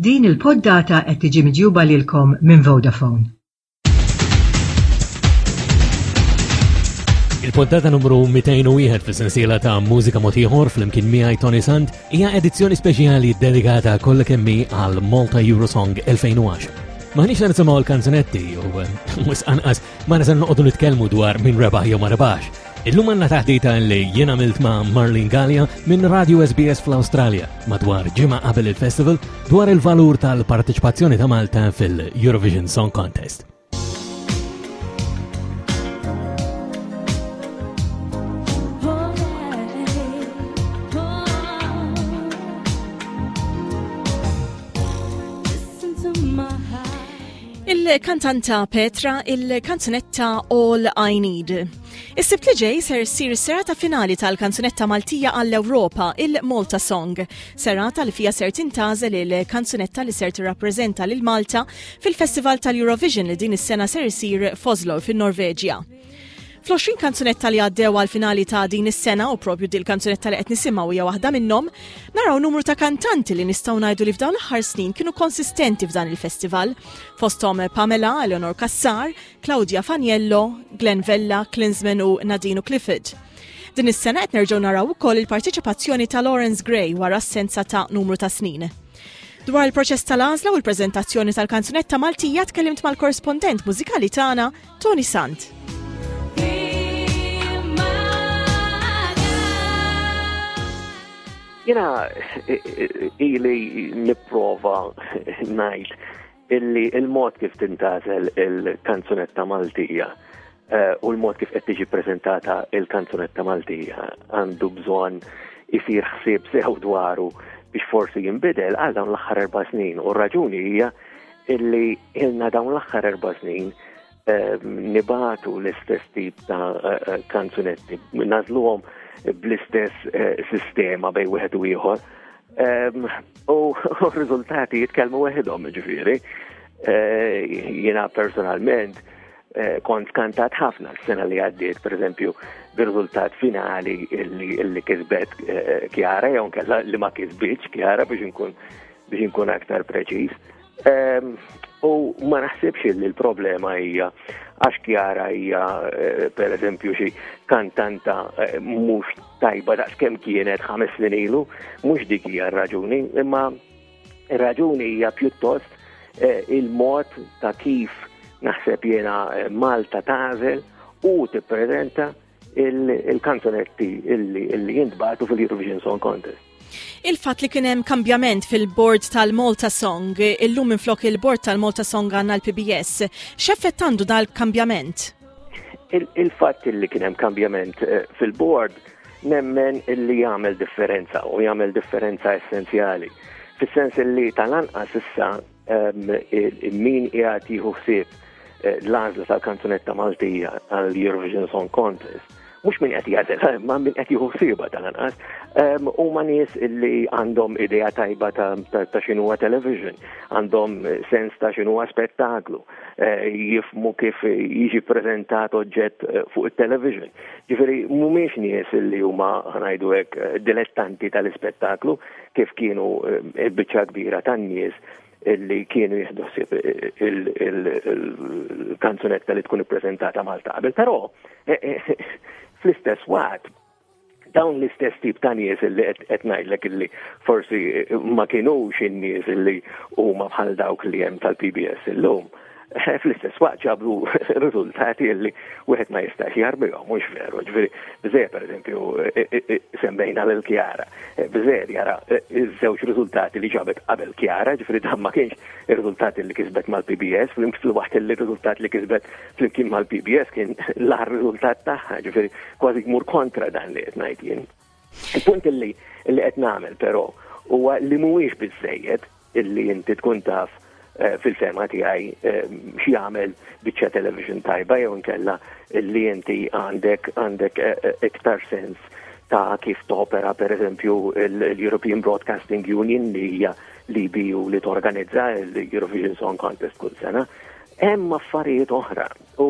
Din il-poddata qed tiġi miġjuba lilkom minn Vodafone. Il-poddata numru 201 fis-sensiela ta' Mużika Mod Ieħor flimkien miegħi Tony Sant hija edizzjoni speċjali dedikata kollha kemm hi għal Malta Eurosong 2010. Maħniex se nisimgħu l-kanzunetti u eh, mhux anqas ma nisa noqogħdu nitkellmu dwar min rebaħ jew ma rebaħx. Illum għandna taħdita li jien għamilt ma' Marlene Gallia minn Radio SBS fl-Awstralja madwar ġimgħa qabel il-festival dwar il-valur tal-parteċipazzjoni ta' Malta fil-Eurovision Song Contest. Il-kantanta Petra il-kanzunetta All I Need. Is-Sibt li ġej ser issir is-serata finali tal-kanzunetta Maltija għall-Ewropa, il-Malta Song. Serata li fija ser tintgħażel il-kanzunetta li ser tirrappreżenta lil Malta fil-Festival tal-Eurovision li din is-sena ser isir f'Oslo fin-Norveġja. Fl-20 kanzunetta li għaddew għal finali ta' din is-sena u propju dil kanzunetta li qed nisimgħu hija waħda minnhom, naraw numru ta' kantanti li nistgħu ngħidu li f'dawn l-aħħar snin kienu konsistenti f'dan il-festival. Fosthom Pamela, Eleonor Cassar, Claudia Faniello, Glenn Vella, Klinsmann u Nadine Clifford. Din is-sena qed nerġgħu naraw ukoll il-parteċipazzjoni ta' Lawrence Gray wara assenza ta' numru ta' snin. Dwar il-proċess tal-għażla u l-preżentazzjoni tal-kanzunetta Maltija tkellimt mal-korrispondent mużikali tagħna Tony Sant. Jena ili nipprova ngħid illi il-mod kif tintażel il-kanzunetta Maltija eh, u l-mod kif qed tiġi preżentata il-kanzunetta Maltija għandu bżonn isir ħsieb sew dwaru biex forsi jinbidel għal dawn l-aħħar erba' snin u r-raġuni hija illi ilna dawn l-aħħar erba' snin eh, nibatu l-istess tip ta' eh, kanzunetti, nażluhom bl-istess sistema bej wieħed u ieħor. U r-riżultati jitkellmu weħidhom, ġifieri. Eh, jiena personalment eh, kont kantat ħafna s-sena li għaddiet, per eżempju, bir-riżultat finali li kisbet eh, Kjara, jew nkella li ma kisbitx Kjara biex inkun biex inkun aktar preċiż. Ehm, u ma naħsibx li l-problema hija għax Kjara hija eh, per eżempju xi kantanta eh, mhux tajba daqs kemm kienet ħames snin ilu, mhux dik hija r-raġuni, imma r-raġuni hija pjuttost eh, il-mod ta' kif naħseb jiena Malta tagħżel u tippreżenta il-kanzunetti illi jintbagħtu fil-Eurovision Song Contest. Il-fatt li kien hemm kambjament fil-board tal-Malta Song, illum minflok il-board tal-Malta Song għandna l-PBS, x'effett għandu dal-kambjament? Il-fatt li kien hemm kambjament eh, fil-board nemmen illi jagħmel differenza u jagħmel differenza essenzjali. Fis-sens illi tal-anqas issa min qiegħed jieħu ħsieb eh, l-għażla tal-kanzunetta Maltija għall-Eurovision Song Contest, mhux min qed jagħżel, eh, ma min qed jieħu ħsiebha tal-anqas, huma nies li għandhom idea tajba ta' x'inhuwa television, għandhom sens ta' x'inhuwa spettaklu, eh, jifmu kif jiġi preżentat oġġett fuq it-television. Ġifieri mhumiex nies li huma ngħidu hekk dilettanti tal-ispettaklu, kif kienu il-biċċa kbira tan-nies illi kienu jieħdu ħsieb il-kanzunetta li tkun ippreżentata Malta qabel. Però eh, eh, fl-istess waqt dawn l-istess tip ta' nies illi qed ngħidlek illi forsi ma kinux in-nies illi huma bħal dawk li hemm tal-PBS illum. Eh, fl-istess waqt ġabu riżultati li wieħed ma jistax jarbihom, mhux veru. Ġifieri, biżejjed pereżempju eh, eh, semmejna lil Kjara, biżejjed jara iż-żewġ riżultati li ġabet qabel Kjara, ġifieri dan ma kienx ir-riżultati li kisbet mal-PBS, fil-waqt li r-riżultat li kisbet flimkien mal-PBS kien l-aħħar riżultat tagħha, ġifieri kważi jmur kontra dan li qed ngħid jien. Il-punt li qed nagħmel però huwa li mhuwiex biżejjed illi inti tkun taf eh, fil-fema tiegħi eh, x'jagħmel biċċa television tajba jew inkella illi inti għandek għandek eh, iktar sens ta' kif topera per eżempju l-European Broadcasting Union li hija l-EBU li torganizza l-Eurovision Song Contest kull sena. Hemm affarijiet oħra u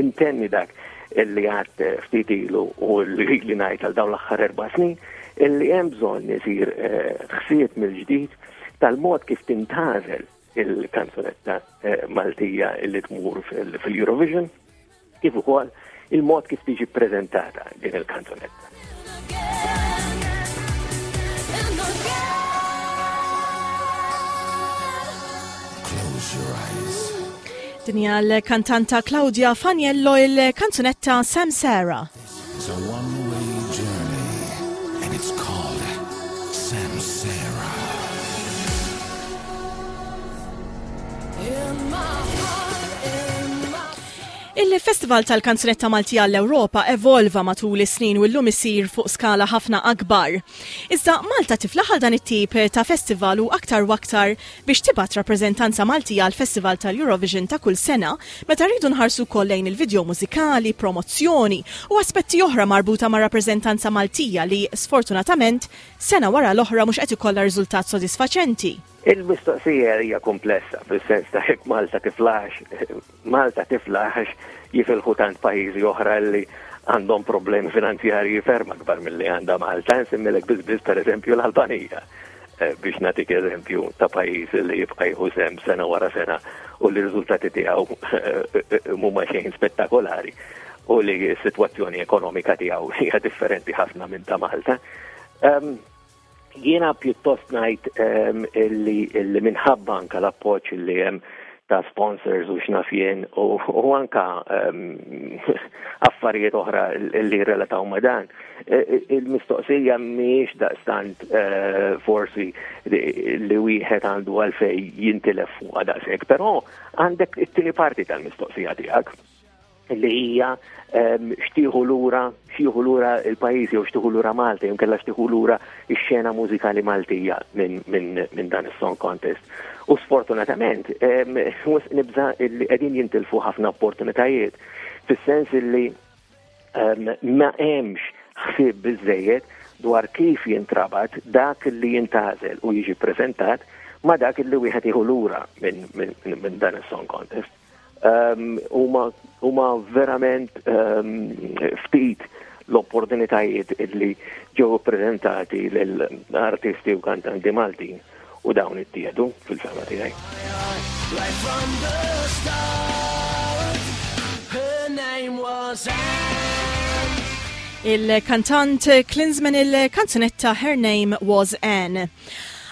intenni dak li għad ftit ilu u li ngħid għal dawn l-aħħar erba' snin. illi hemm bżonn isir eh, ħsieb mill-ġdid tal-mod kif tintgħażel il-kanzunetta eh, Maltija illi tmur fil-Eurovision, kif ukoll il-mod kif tiġi ppreżentata din il-kanzunetta. Din hija l-kantanta Claudia Faniello il-kanzunetta Sam Sarah. It's a one-way journey and it's called Samsara. Il-Festival tal-Kanzunetta Maltija għall-Ewropa evolva matul is-snin u llum isir fuq skala ħafna akbar. Iżda Malta tiflaħ għal dan it-tip ta' festival u aktar u aktar biex tibgħat rappreżentanza Maltija għall-Festival tal-Eurovision ta' kull sena meta rridu nħarsu wkoll lejn il-vidjow mużikali, promozzjoni u aspetti oħra marbuta mar-rappreżentanza Maltija li, sfortunatament, sena wara l-oħra mhux qed ikollha riżultat sodisfaċenti. Il-mistoqsija hija kumplessa fis-sens ta' jekk Malta tiflaħx, Malta tiflaħ għax jifilħu tant pajjiżi oħra li għandhom problemi finanzjarji ferm akbar milli għandha Malta, nsemmilek biss biss pereżempju l-Albanija eh, biex nagħtik eżempju ta' pajjiż li jibqa' jieħu sehem sena wara sena u li r-riżultati tiegħu eh, eh, mhuma xejn spettakolari u li s-sitwazzjoni ekonomika tiegħu hija differenti ħafna minn ta' Malta. Ehm, Jiena pjuttost ngħid ehm, illi minħabba anka l-appoġġ li hemm ta' sponsors u x'naf jien u anka ehm, affarijiet oħra li relataw ma' dan. E, e, il-mistoqsija mhijiex daqstant e, forsi li wieħed għandu għalfej jintilef fuqha daqshekk, però għandek it-tieni parti tal-mistoqsija tiegħek li hija ehm, xtieħu lura, xtieħu lura il-pajjiż jew xtieħu lura Malta jew kellha xtieħu lura x-xena mużikali Maltija minn min, min dan is-song contest. U sfortunatament ehm, nibża li qegħdin jintilfu ħafna opportunitajiet fis-sens li ehm, ma hemmx ħsieb biżejjed dwar kif jintrabat dak li jintażel u jiġi preżentat ma dak li wieħed jieħu lura minn min, min dan is-song contest. Ehm, huma verament ehm, ftit l-opportunitajiet illi ġew ippreżentati lil artisti u kantanti Maltin u dawn ittieħdu fil-fema tiegħi. Il-kantant Klinsmann il-kanzunetta Her Name Was Anne.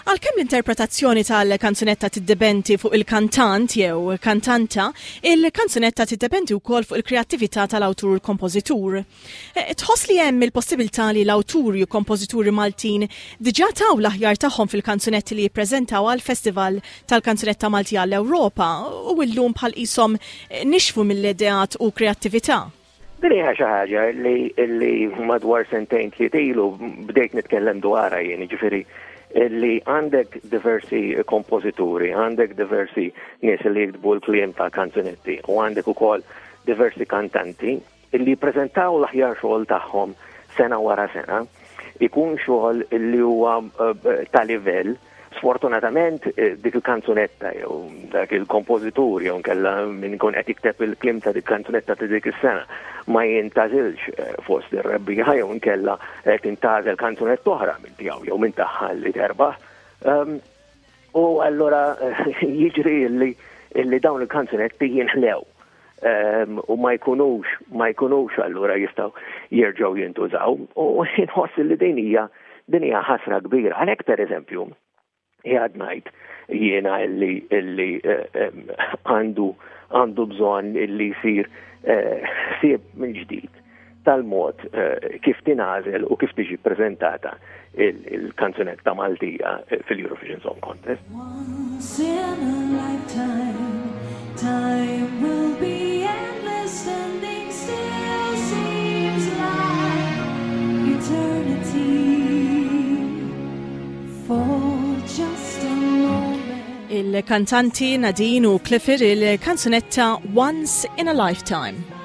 Għalkemm l-interpretazzjoni tal-kanzunetta tiddependi fuq il-kantant jew kantanta, il-kanzunetta tiddependi wkoll fuq il-kreattività tal-awtur u l-kompożitur. E, tħoss li hemm il-possibilità li l-awturi u kompożituri Maltin diġà taw l-aħjar tagħhom fil-kanzunetti li jippreżentaw għall-Festival tal-Kanzunetta Maltija għall-Ewropa u llum bħal qishom nixfu mill-ideat u kreattività? Din hija xi ħaġa li li madwar sentejn tliet ilu bdejt nitkellem dwarha jien, jiġifieri li għandek diversi kompożituri, għandek diversi nies li jiktbu l-kliem ta' kanzunetti u għandek ukoll diversi kantanti li jippreżentaw l-aħjar xogħol tagħhom sena wara sena, ikun xogħol li huwa eh, ta' livell Sfortunatament eh, dik il-kanzunetta jew dak il-kompożitur jew nkella min ikun qed jikteb il-kliem ta' dik kanzunetta ta' dik is-sena ma jintażilx eh, fost ir-rebbieħa jew nkella eh, tintażel kanzunetta oħra minn tiegħu jew minn tagħha li terbaħ. Ehm, u allura jiġri li illi dawn il-kanzunetti jinħlew ehm, u ma jkunux ma jkunux allura jistgħu jerġgħu jintużaw u nħoss li din hija din hija ħasra kbira. Għalhekk pereżempju jgħad ngħid jiena illi illi eh, ehm, għandu għandu bżonn illi jsir eh, ħsieb minn ġdid tal-mod eh, kif tingħażel u kif tiġi ppreżentata il-kanzunetta Maltija eh, fil-Eurovision Song Contest. Once in a lifetime, time will be endless, standing still seems like eternity for just a moment. Il-kantanti Nadine u Clifford il-kanzunetta Once in a Lifetime.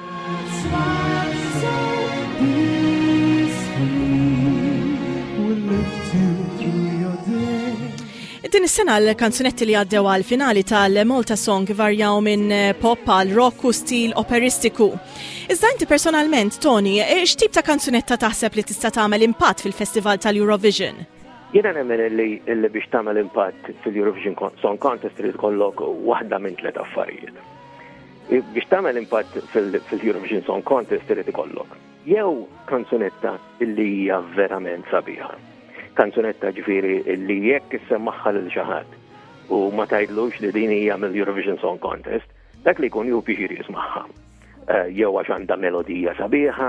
Din is-sena l-kanzunetti li għaddew għal finali tal-Malta Song varjaw minn pop għal rock u stil operistiku. Iżda inti personalment, Tony, x'tip ta' kanzunetta taħseb li tista' tagħmel impatt fil-Festival tal-Eurovision? Jiena nemmen li biex tagħmel impatt fil-Eurovision Song Contest trid ikollok waħda minn tliet affarijiet. Biex tagħmel impatt fil-Eurovision Song Contest trid ikollok jew kanzunetta illi hija verament sabiħa. Kanzunetta ġifieri illi jekk issemmaħħa lil xi ħadd u ma tgħidlux li din hija mill-Eurovision Song Contest, dak li jkun ju pixir jismagħha. Eh, jew għax għandha melodija sabiħa,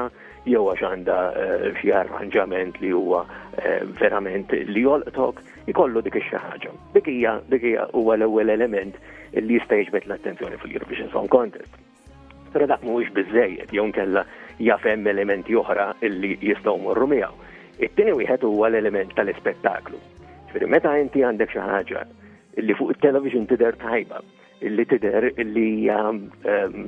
jew għax għandha eh, xi arranġament li huwa eh, verament li jolqtok, ikollu dik ix-xi ħaġa. Dik hija dik hija huwa l-ewwel element li jista' jiġbed l-attenzjoni fil-Eurovision Song Contest. Però dak mhuwiex biżejjed jew nkella jaf hemm elementi oħra li jistgħu morru miegħu. It-tieni wieħed huwa l-element tal-ispettaklu. Ġifieri meta inti għandek xi ħaġa li fuq it-television tidher tajba, li tidher li hija ehm,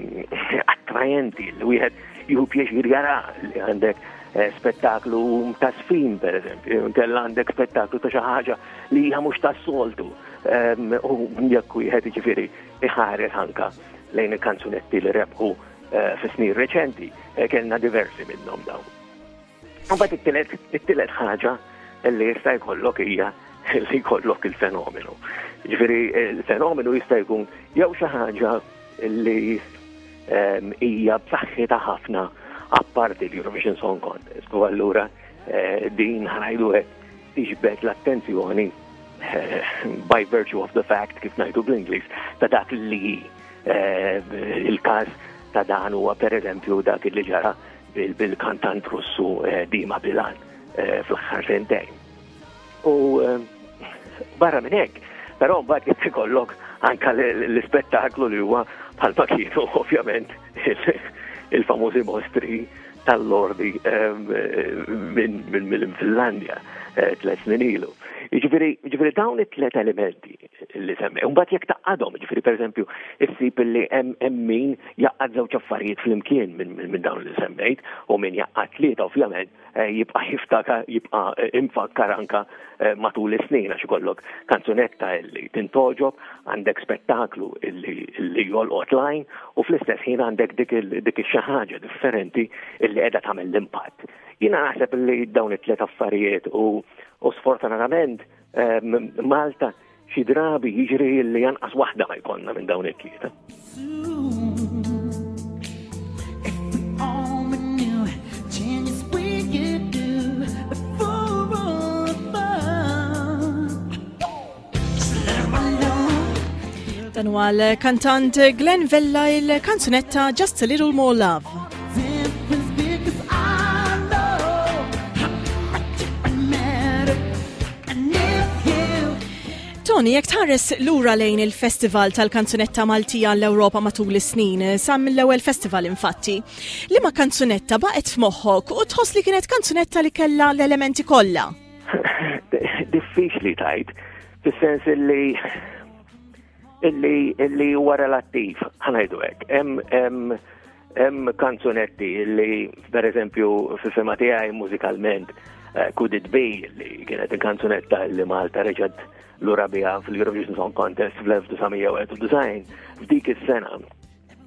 attrajenti, li wieħed jieħu pjaċir jara li għandek eh, spettaklu ta' sfin, per eżempju, kella għandek spettaklu ta' xi ħaġa li hija mhux tas-soltu. Ehm, u jekk wieħed jiġifieri iħares anka lejn il-kanzunetti li rebħu eh, fi snin reċenti, eh, kellna diversi minnhom dawn. Mbagħad it-tielet it-tielet ħaġa li jista' jkollok hija li jkollok il-fenomenu. Ġifieri il-fenomenu jista' jkun jew xi ħaġa li ehm, hija b'saħħitha ħafna apparti l-Eurovision Song Contest. U allura eh, din ħanajdu hekk tiġbed l-attenzjoni eh, by virtue of the fact kif ngħidu bl-Ingliż ta' dak li eh, il-każ ta' dan huwa pereżempju dak li ġara bil-kantant Russu eh, Dima Bilan eh, fl-aħħar sentejn. U eh, barra minn hekk, però mbagħad jekk ikollok anka l-ispettaklu li huwa bħalma kienu ovvjament il-famużi mostri tal-lordi minn Finlandja tlet snin ilu. Jiġifieri dawn it-tlet elementi li semmi. Mbagħad jekk taqadhom, ġifieri pereżempju, issib li hemm min jaqgħad żewġ affarijiet flimkien minn dawn li semmejt u min jaqgħad tlieta ovvjament eh, jibqa' jiftakar jibqa' eh, imfakkar anka eh, matul is-snin għax ikollok kanzunetta illi tintoġob, għandek spettaklu illi jolqot lajn u fl-istess ħin għandek dik ix-xi ħaġa differenti illi qiegħda tagħmel l-impatt. Jiena naħseb li dawn it-tliet affarijiet u sfortunatament Malta xi drabi jiġri li janqas waħda ma jkollna minn dawn it-tlieta. Dan huwa l-kantant Glenn Vella il-kanzunetta Just a Little More Love. Tony, jekk tħares lura lejn il-Festival tal-Kanzunetta Maltija l-Ewropa matul is-snin, sa mill-ewwel festival infatti, liema kanzunetta baqgħet f'moħħok u tħoss li kienet kanzunetta li kellha l-elementi kollha? Diffiċli tajt, fis-sens li illi illi huwa relattiv, ħanajdu hekk. Hemm hemm kanzunetti li pereżempju fil-fema tiegħi mużikalment eh, Could It Be li kienet il-kanzunetta li Malta reġgħet lura biha fil-Eurovision Song Contest fl-1991 f'dik is-sena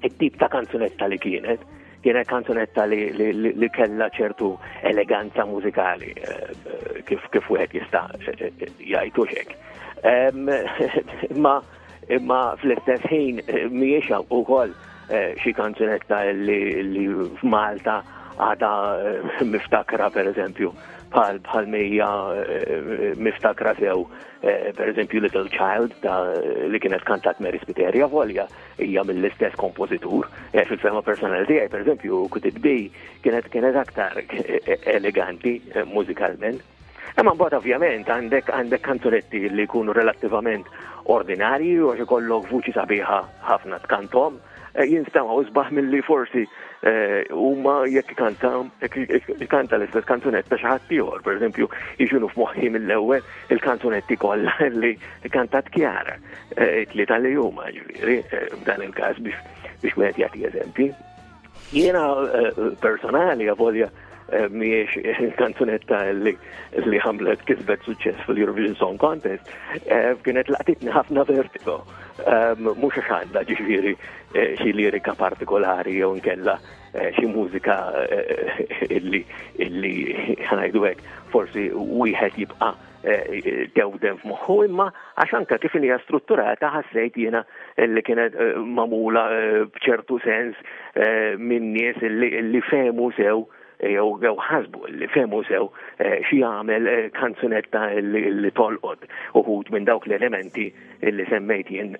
it-tip ta' kanzunetta li kienet, kienet kanzunetta li, li, li, li kella ċertu eleganza mużikali, eh, eh, kif, kif wieħed jista' eh, jgħidu xek. Imma imma fl-istess ħin mhijiex ukoll xi kanzunetta li, li f'Malta għada miftakra per eżempju bħal bħal mija miftakra sew per eżempju Little Child ta' li kienet kantat Mary Spiteria volja hija mill-istess kompożitur. Eh, fil-fema personali tiegħi, pereżempju, Could It Be kienet kienet aktar eh, eleganti eh, mużikalment. Imma mbagħad ovvjament għandek għandek kanzunetti li jkunu relattivament ordinarji u għax ikollok vuċi sabiħa ħafna tkantom, jinstamaw isbaħ milli forsi huma jekk ikanta jekk ikanta l-istess kanzunetta xi ħadd ieħor, pereżempju, jiġunu f'moħħi mill-ewwel il-kanzunetti kollha li kantat Chiara. Eh, it-tlieta li huma ġifieri eh, f'dan il-każ biex biex wieħed jagħti eżempji. Jiena eh, personali avolja eh, mhijiex il-kanzunetta li li għamlet kisbet suċċess fil-Eurovision Song Contest, eh, kienet laqtitni ħafna vertigo. Ehm, mhux għax għandha ġifieri eh, xi lirika partikolari jew nkella xi mużika illi illi ħanajdu hekk forsi wieħed jibqa' Eh, tewden f'moħħu imma għax anka kif hija strutturata ħassejt jiena li kienet eh, magħmula eh, b'ċertu sens minn nies li fehmu sew jew jew ħasbu li fehmu sew xi jagħmel kanzunetta li tolqot uħud minn dawk l-elementi li semmejt jien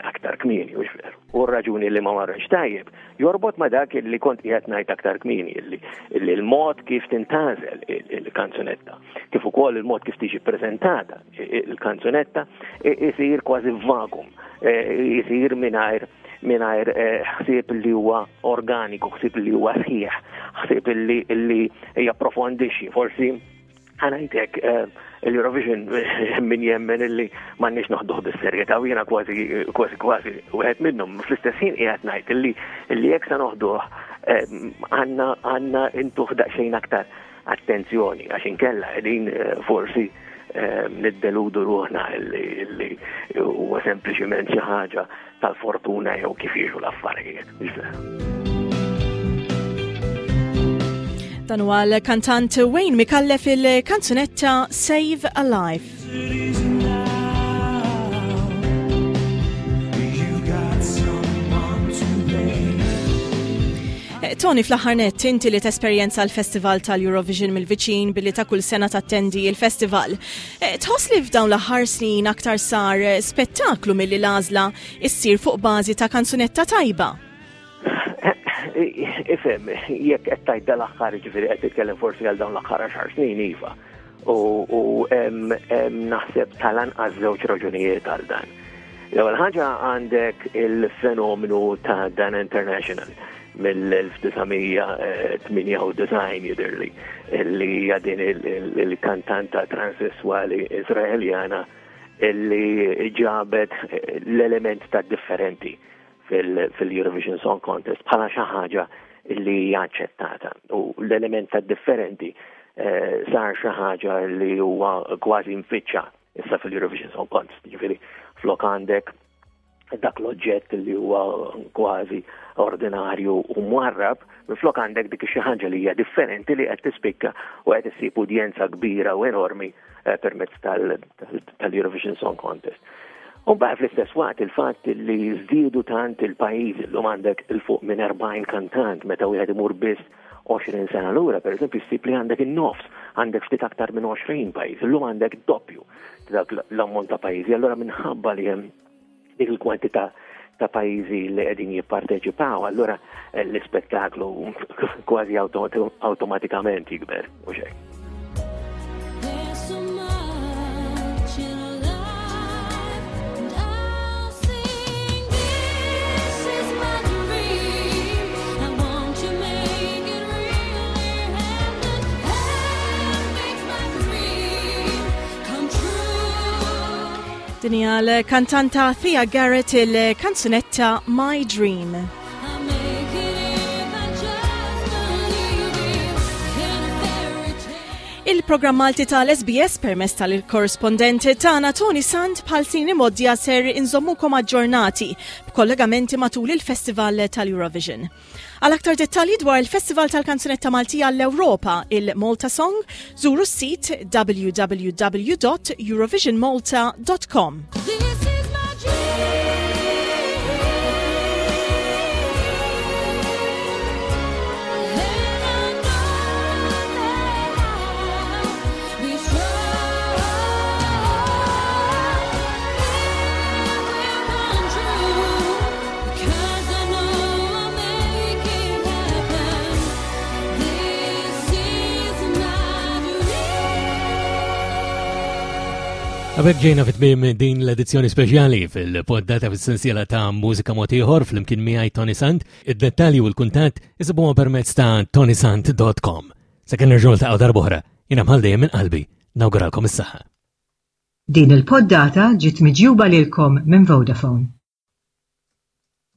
aktar kmieni u veru. U r-raġuni li ma marrex tajjeb jorbot ma dak li kont qiegħed ngħid aktar kmieni li l-mod kif tintgħażel il-kanzunetta kif ukoll il-mod kif tiġi ppreżentata il-kanzunetta isir kważi vakum, isir mingħajr mingħajr eh, ħsieb li huwa organiku, ħsieb li huwa sħiħ, ħsieb li li japprofondixxi. Forsi ħanajtek eh, l-Eurovision min jemmen illi m'għandniex noħduh bis-serjetà u jiena kważi kważi kważi wieħed minnhom. Fl-istess ħin qiegħed ngħid illi illi jekk se noħduh eh, għandna għandna intuh daqsxejn aktar Attenzjoni, għax inkella qegħdin eh, forsi eh, niddeludu ruħna li huwa sempliċiment xi ħaġa tal-fortuna jew kif jiġu l-affarijiet. Dan huwa l-kantant Wayne Micallef il-kanzunetta Save a Life. Eh, Tony, fl-aħħar nett, inti li tesperjenza l-Festival tal-Eurovision mill-viċin billi ta' kull sena tattendi il-festival. Eh, tħoss li f'dawn l-aħħar snin aktar sar eh, spettaklu milli l-għażla issir fuq bażi ta' kanzunetta tajba? Ifhem, jekk qed tgħid dal-aħħar ġifieri qed titkellem forsi għal dawn l-aħħar għaxar snin iva. U naħseb tal-anqas żewġ raġunijiet għal dan. L-ewwel ħaġa għandek il-fenomenu ta' Dan International mill-1998 jidhirli li hija din il-kantanta transessuali Izraeljana li ġabet l-element ta' differenti fil-Eurovision Song Contest bħala xi ħaġa li hija aċċettata. U l-element ta' differenti eh, sar xi ħaġa li huwa kważi mfittxa issa fil-Eurovision Song Contest. Ġifieri flok għandek dak l-oġġett li huwa kważi ordinarju u mwarrab, minflok għandek dik xi ħaġa li hija differenti li qed tispikka u qed issib udjenza kbira u enormi eh, permezz tal-Eurovision Song Contest. U mbagħad fl-istess waqt il-fatt li żdiedu tant il-pajjiżi llum għandek il fuq minn 40 kantant meta wieħed imur biss 20 sena lura, per eżempju, ssib li għandek in-nofs, għandek ftit aktar minn 20 pajjiż, illum għandek doppju dak l-ammont ta' pajjiżi. Allura minħabba li hemm dik il-kwantità ta' pajjiżi li qegħdin jipparteċipaw, allura eh, l-ispettaklu kważi awtomatikament jikber u xejn. Din hija l-kantanta Thea Garrett il-kanzunetta My Dream. Il-programm Malti tal-SBS permezz tal-korrispondent tagħna Tony Sant bħal snin imgħoddija ser inżommukom aġġornati b'kollegamenti matul il-Festival tal-Eurovision. Għal aktar dettalji dwar il-Festival tal-Kanzunetta Maltija l-Ewropa, il-Malta Song, żuru s-sit www.eurovisionmalta.com. Għabek ġejna fit-tmim din l-edizzjoni speċjali fil-poddata fis-sensiela ta' mużika motiħor fl-imkien miegħi Tony Sant. Id-dettalji u l-kuntatt isibuha permezz ta' tonysant.com. Sakemm nerġgħu niltaqgħu darb'oħra, jiena bħal dejjem minn qalbi nawguralkom is-saħħa. Din il-poddata ġiet miġjuba lilkom minn Vodafone.